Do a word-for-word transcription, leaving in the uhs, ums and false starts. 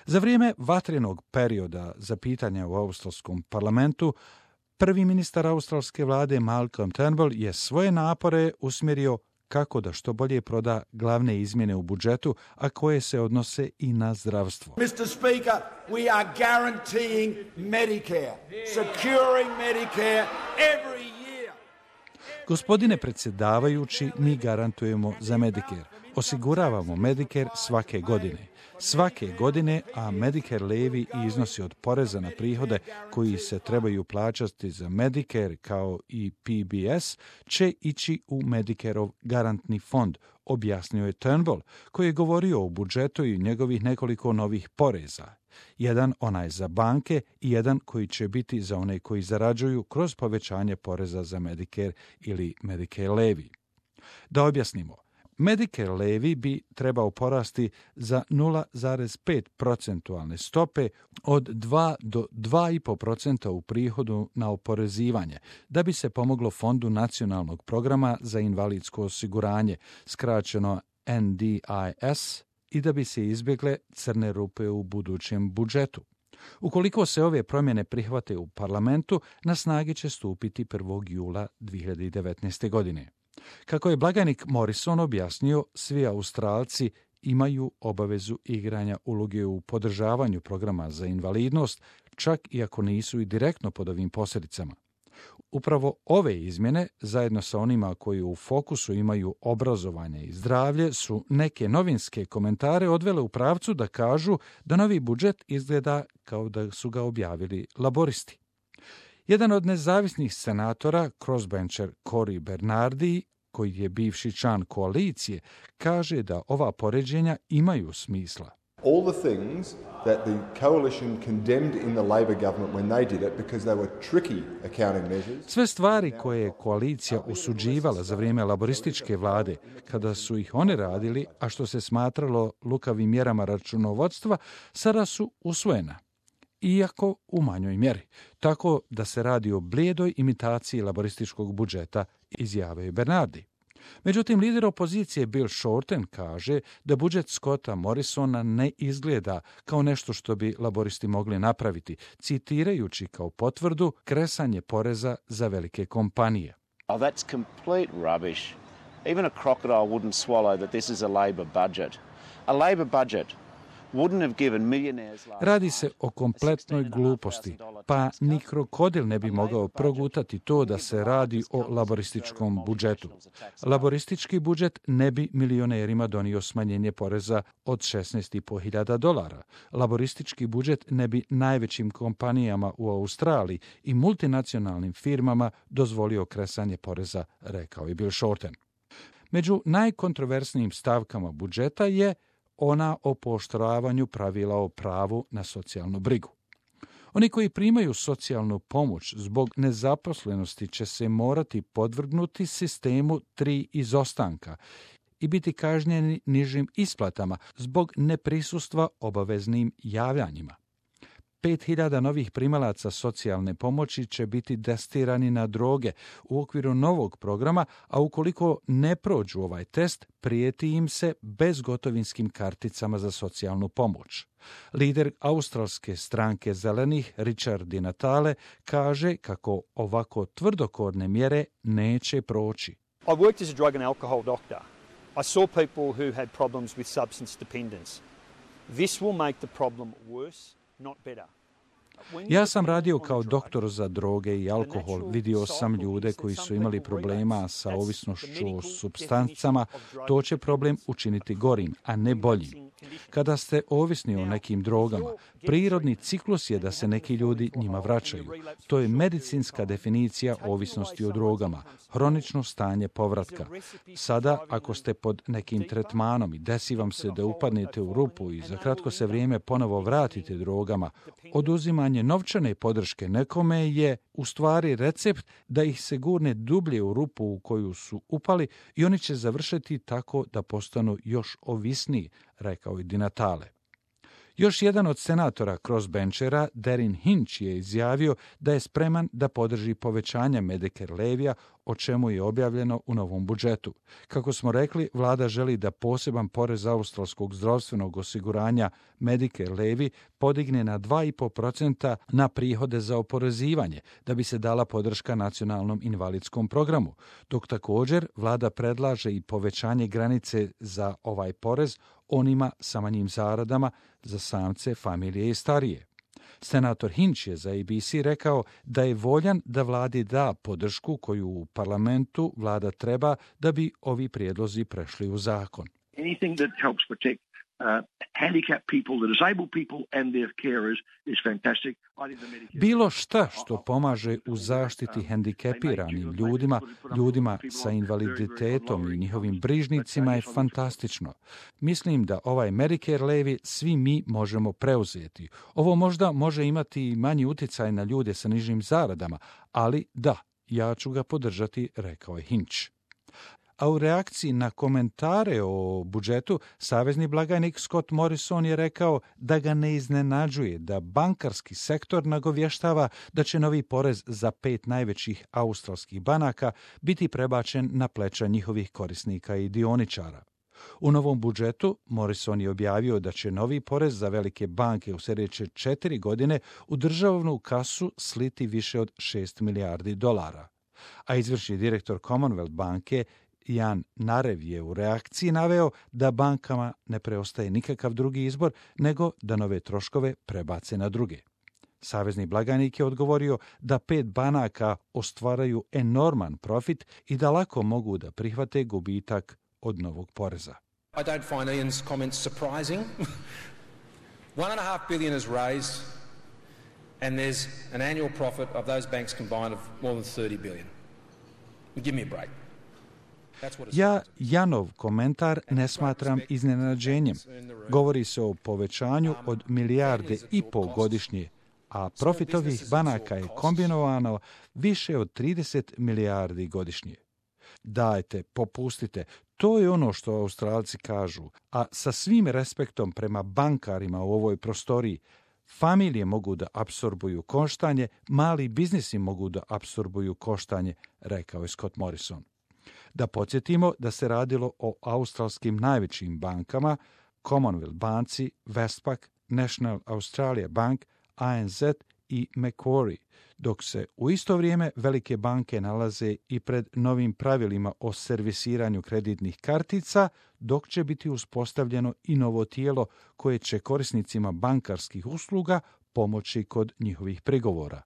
Za vrijeme vatrenog perioda za pitanja u australskom parlamentu, prvi ministar australske vlade Malcolm Turnbull je svoje napore usmjerio kako da što bolje proda glavne izmjene u budžetu, a koje se odnose i na zdravstvo. mister Speaker, we are guaranteeing Medicare, securing Medicare every year. Gospodine predsjedavajući, mi garantujemo za Medicare. Osiguravamo Medicare svake godine. Svake godine, a Medicare levi i iznosi od poreza na prihode koji se trebaju plaćati za Medicare kao i P B S će ići u Medicareov garantni fond, objasnio je Turnbull, koji je govorio o budžetu i njegovih nekoliko novih poreza. Jedan onaj za banke i jedan koji će biti za one koji zarađuju kroz povećanje poreza za Medicare ili Medicare levi. Da objasnimo, Medicare levi bi trebao porasti za nula zarez pet procentualne stope od dva do dva i pol procenta u prihodu na oporezivanje, da bi se pomoglo Fondu nacionalnog programa za invalidsko osiguranje, skraćeno N D I S, i da bi se izbjegle crne rupe u budućem budžetu. Ukoliko se ove promjene prihvate u parlamentu, na snagi će stupiti prvog jula dvije hiljade devetnaeste. godine. Kako je blagajnik Morrison objasnio, svi Australci imaju obavezu igranja uloge u podržavanju programa za invalidnost, čak i ako nisu i direktno pod ovim posljedicama. Upravo ove izmjene, zajedno sa onima koji u fokusu imaju obrazovanje i zdravlje, su neke novinske komentare odvele u pravcu da kažu da novi budžet izgleda kao da su ga objavili laboristi. Jedan od nezavisnih senatora, crossbencher Cory Bernardi, koji je bivši član koalicije, kaže da ova poređenja imaju smisla. All the things that the coalition condemned in the Labor government when they did it because they were tricky accounting measures. Sve stvari koje je koalicija osuđivala za vrijeme laborističke vlade, kada su ih one radili, a što se smatralo lukavim mjerama računovodstva, sada su usvojena, iako u manjoj mjeri. Tako da se radi o blijedoj imitaciji laborističkog budžeta, izjavio je Bernardi. Međutim, lider opozicije Bill Shorten kaže da budžet Scotta Morrisona ne izgleda kao nešto što bi laboristi mogli napraviti, citirajući kao potvrdu kresanje poreza za velike kompanije. Oh, that's complete rubbish. Even a crocodile wouldn't swallow that this is a Labor budget. A Labor budget wouldn't have given millionaires last. Radi se o kompletnoj gluposti, pa ni krokodil ne bi mogao progutati to da se radi o laborističkom budžetu. Laboristički budžet ne bi milionerima donio smanjenje poreza od šesnaest i po hiljada dolara. Laboristički budžet ne bi najvećim kompanijama u Australiji i multinacionalnim firmama dozvolio kresanje poreza, rekao je Bill Shorten. Među najkontroversnijim stavkama budžeta je ona o pooštravanju pravila o pravu na socijalnu brigu. Oni koji primaju socijalnu pomoć zbog nezaposlenosti će se morati podvrgnuti sistemu tri izostanka i biti kažnjeni nižim isplatama zbog neprisustva obaveznim javljanjima. Pet hiljada novih primalaca socijalne pomoći će biti testirani na droge u okviru novog programa, a ukoliko ne prođu ovaj test, prijeti im se bezgotovinskim karticama za socijalnu pomoć. Lider australske stranke zelenih, Richard Di Natale, kaže kako ovako tvrdokorne mjere neće proći. I worked as a drug and alcohol doctor. I saw people who had problems with substance dependence. This will make the problem worse, not better. Ja sam radio kao doktor za droge i alkohol. Vidio sam ljude koji su imali problema sa ovisnošću o supstancama. To će problem učiniti gorim, a ne boljim. Kada ste ovisni o nekim drogama, prirodni ciklus je da se neki ljudi njima vraćaju. To je medicinska definicija ovisnosti o drogama, hronično stanje povratka. Sada, ako ste pod nekim tretmanom i desi vam se da upadnete u rupu i za kratko se vrijeme ponovo vratite drogama, oduzimanje novčane podrške nekome je u stvari recept da ih se gurne dublje u rupu u koju su upali i oni će završiti tako da postanu još ovisniji, rekao je Di Natale. Još jedan od senatora crossbenchera, Darren Hinch, je izjavio da je spreman da podrži povećanje Medicare levija o čemu je objavljeno u novom budžetu. Kako smo rekli, vlada želi da poseban porez australskog zdravstvenog osiguranja Medicare Levy podigne na dva i po procenta na prihode za oporezivanje, da bi se dala podrška nacionalnom invalidskom programu, dok također vlada predlaže i povećanje granice za ovaj porez onima sa manjim zaradama, za samce, familije i starije. Senator Hinch je za A B C rekao da je voljan da vladi da podršku koju u parlamentu vlada treba da bi ovi prijedlozi prešli u zakon. Anything that helps protect uh, handicapped people, the disabled people and their carers is fantastic. Bilo šta što pomaže u zaštiti hendikepiranim ljudima, ljudima sa invaliditetom i njihovim brižnicima je fantastično. Mislim da ovaj Medicare Levy svi mi možemo preuzeti. Ovo možda može imati manji utjecaj na ljude sa nižim zaradama, ali da, ja ću ga podržati, rekao je Hinch. A u reakciji na komentare o budžetu, savezni blagajnik Scott Morrison je rekao da ga ne iznenađuje da bankarski sektor nagovještava da će novi porez za pet najvećih australskih banaka biti prebačen na pleća njihovih korisnika i dioničara. U novom budžetu Morrison je objavio da će novi porez za velike banke u sljedeće četiri godine u državnu kasu sliti više od šest milijardi dolara. A izvršni direktor Commonwealth banke Jan Narev je u reakciji naveo da bankama ne preostaje nikakav drugi izbor nego da nove troškove prebace na druge. Savezni blagajnik je odgovorio da pet banaka ostvaraju enorman profit i da lako mogu da prihvate gubitak od novog poreza. I don't find Ian's comments surprising. One and a half billion is raised and there's an annual profit of those banks combined of more than thirty billion. Give me a break. Ja Janov komentar ne smatram iznenađenjem. Govori se o povećanju od milijarde i pol godišnje, a profit ovih banaka je kombinovano više od trideset milijardi godišnje. Dajte, popustite, to je ono što Australci kažu, a sa svim respektom prema bankarima u ovoj prostoriji, familije mogu da apsorbuju koštanje, mali biznisi mogu da apsorbuju koštanje, rekao je Scott Morrison. Da podsjetimo da se radilo o australskim najvećim bankama, Commonwealth banci, Westpac, National Australia Bank, A N Z i Macquarie, dok se u isto vrijeme velike banke nalaze i pred novim pravilima o servisiranju kreditnih kartica, dok će biti uspostavljeno i novo tijelo koje će korisnicima bankarskih usluga pomoći kod njihovih prigovora.